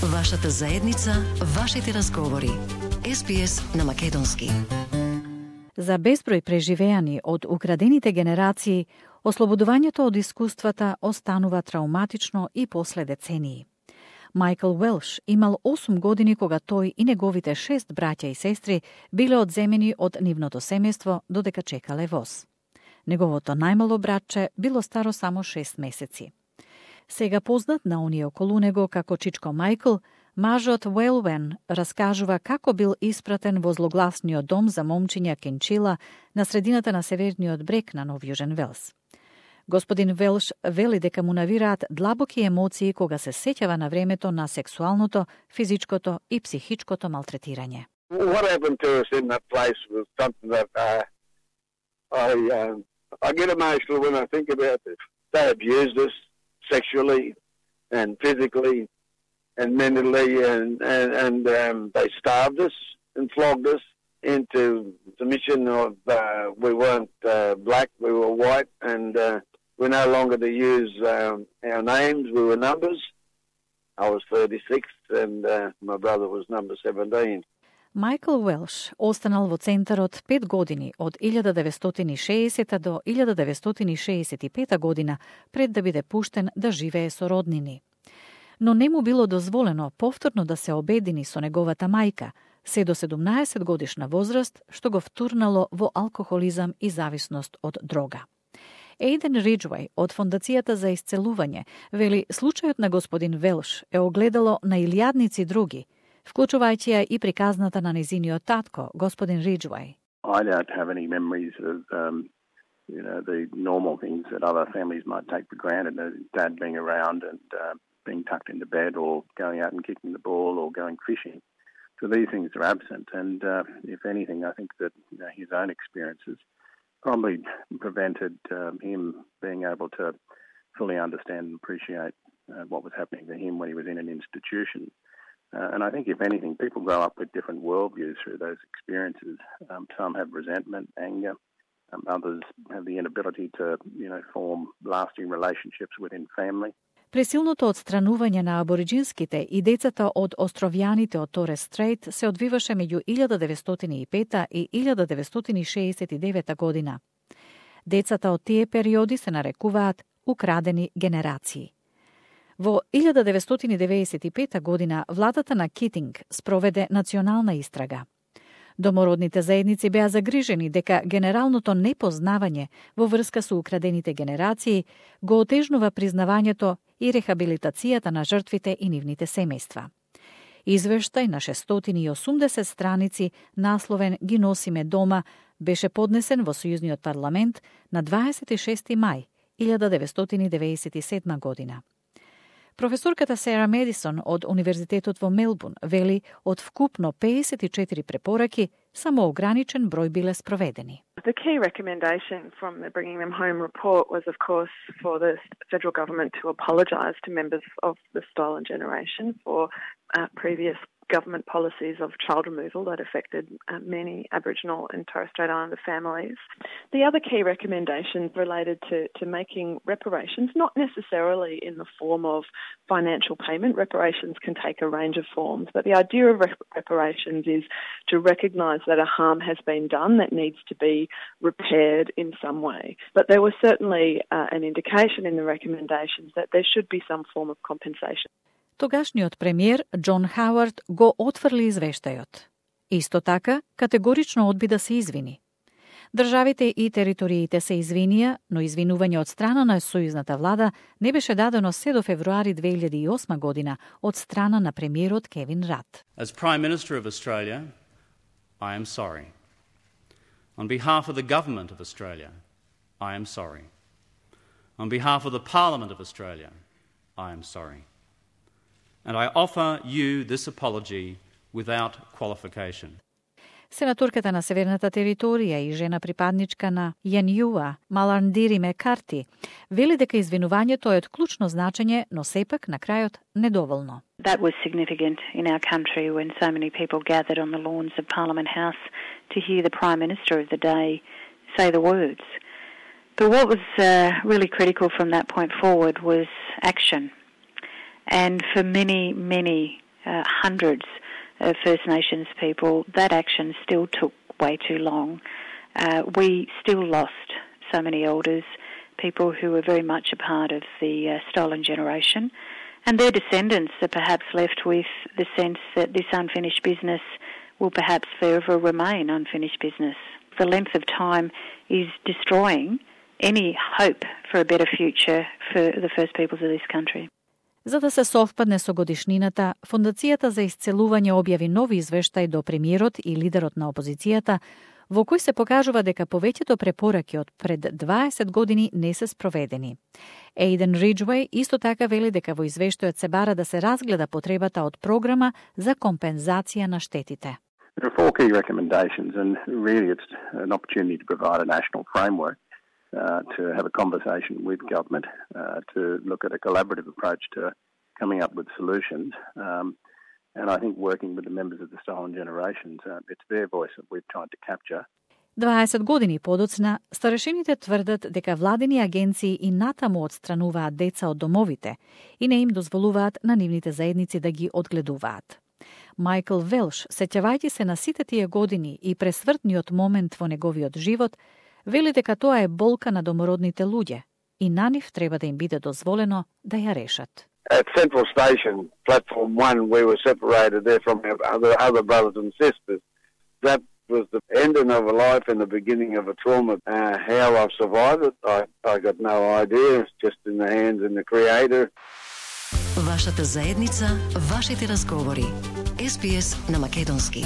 Вашата заедница, вашите разговори. СПС на македонски. За безброј преживеани од украдените генерации, ослободувањето од искуствата останува трауматично и после децении. Майкл Уелш имал 8 години кога тој и неговите 6 браќа и сестри биле одземени од нивното семејство додека чекале воз. Неговото најмало братче било старо само 6 месеци. Сега познат на оние околу него како Чичко Майкл, мажот Уелвен раскажува како бил испратен во злогласниот дом за момчиња Кенчила на средината на северниот брег на Нов Јужен Велс. Господин Велш вели дека му навираат длабоки емоции кога се сеќава на времето на сексуалното, физичкото и психичкото малтретирање. What happened to us in that place was something that I get emotional when I think about it. They abused us sexually and physically and mentally, and they starved us and flogged us into submission of we weren't black, we were white, and we're no longer to use our names, we were numbers. I was 36 and my brother was number 17. Майкл Уелш останал во центарот 5 години од 1960 до 1965 година пред да биде пуштен да живее со роднини. Но не му било дозволено повторно да се обедини со неговата мајка, се до 17 годишна возраст, што го втурнало во алкохолизам и зависност од дрога. Ейден Риджвај од Фондацијата за исцелување вели случајот на господин Велш е огледало на илјадници други, вклучувајќи ја и приказната на незиниот татко, господин Риджвај. I don't have any memories of the normal things that other families might take for granted, dad being around and being tucked into bed or going out and kicking the ball or going fishing. So these things are absent, and if anything, I think that his own experiences probably prevented him being able to fully understand and appreciate what was happening to him when he was in an institution. And I think, if anything, people grow up with different worldviews through those experiences. Some have resentment, anger. Others have the inability to, form lasting relationships within family. Пресилното отстранување на абориджинските и децата од островјаните од Торес Стрейт се одвиваше меѓу 1905 и 1969 година. Децата од тие периоди се нарекуваат украдени генерации. Во 1995 година владата на Китинг спроведе национална истрага. Домородните заедници беа загрижени дека генералното непознавање во врска со украдените генерации го отежнува признавањето и рехабилитацијата на жртвите и нивните семејства. Извештај на 680 страници, насловен "Ги носиме дома", беше поднесен во Сојузниот парламент на 26. мај 1997 година. Професорката Сера Медисон од Универзитетот во Мелбурн вели од вкупно 54 препораки само ограничен број биле спроведени. The key recommendation from the Bringing Them Home report was, of course, for the federal government to apologise to members of the stolen generation for previous government policies of child removal that affected many Aboriginal and Torres Strait Islander families. The other key recommendations related to making reparations, not necessarily in the form of financial payment. Reparations can take a range of forms, but the idea of reparations is to recognise that a harm has been done that needs to be repaired in some way. But there was certainly an indication in the recommendations that there should be some form of compensation. Тогашниот премиер Џон Хауард го отфрли извештајот. Исто така, категорично одби да се извини. Државите и териториите се извинија, но извинување од страна на сојузната влада не беше дадено се до февруари 2008 година од страна на премиерот Кевин Рад. As Prime Minister of Australia, I am sorry. On behalf of the Government of Australia, I am sorry. On behalf of the Parliament of Australia, I am sorry. And I offer you this apology without qualification. Сенаторката на Северната територија и жена припадничка на Јаниуа, Маландири Мекарти, вели дека извинувањето е од клучно значење, но сепак на крајот недоволно. That was significant in our country when so many people gathered on the lawns of Parliament House to hear the Prime Minister of the day say the words. But what was really critical from that point forward was action. And for many, many hundreds of First Nations people, that action still took way too long. We still lost so many elders, people who were very much a part of the stolen generation, and their descendants are perhaps left with the sense that this unfinished business will perhaps forever remain unfinished business. The length of time is destroying any hope for a better future for the First Peoples of this country. За да се совпадне со годишнината, Фондацијата за исцелување објави нови извештај до премиерот и лидерот на опозицијата, во кој се покажува дека повеќето препораки од пред 20 години не се спроведени. Ейден Риджвеј исто така вели дека во извештајот се бара да се разгледа потребата од програма за компензација на штетите. There are 4 key recommendations, and really it's an opportunity to provide a national framework to have a conversation with government, to look at a collaborative approach to coming up with solutions. And I think working with the members of the stolen generations, it's their voice that we've tried to capture. 20 години подоцна, старешините тврдат дека владини агенции и натаму отстрануваат деца од домовите и не им дозволуваат на нивните заедници да ги одгледуваат. Майкл Велш, сеќавајќи се на сите тие години и пресвртниот момент во неговиот живот, вели дека тоа е болка на домородните луѓе и на нив треба да им биде дозволено да ја решат. At Central Station, Platform 1, we were separated there from our other brothers and sisters. That was the ending of a life and the beginning of a trauma. How I've survived it, I got no idea. It's just in the hands of the Creator. Вашата заедница, вашите разговори. SBS на македонски.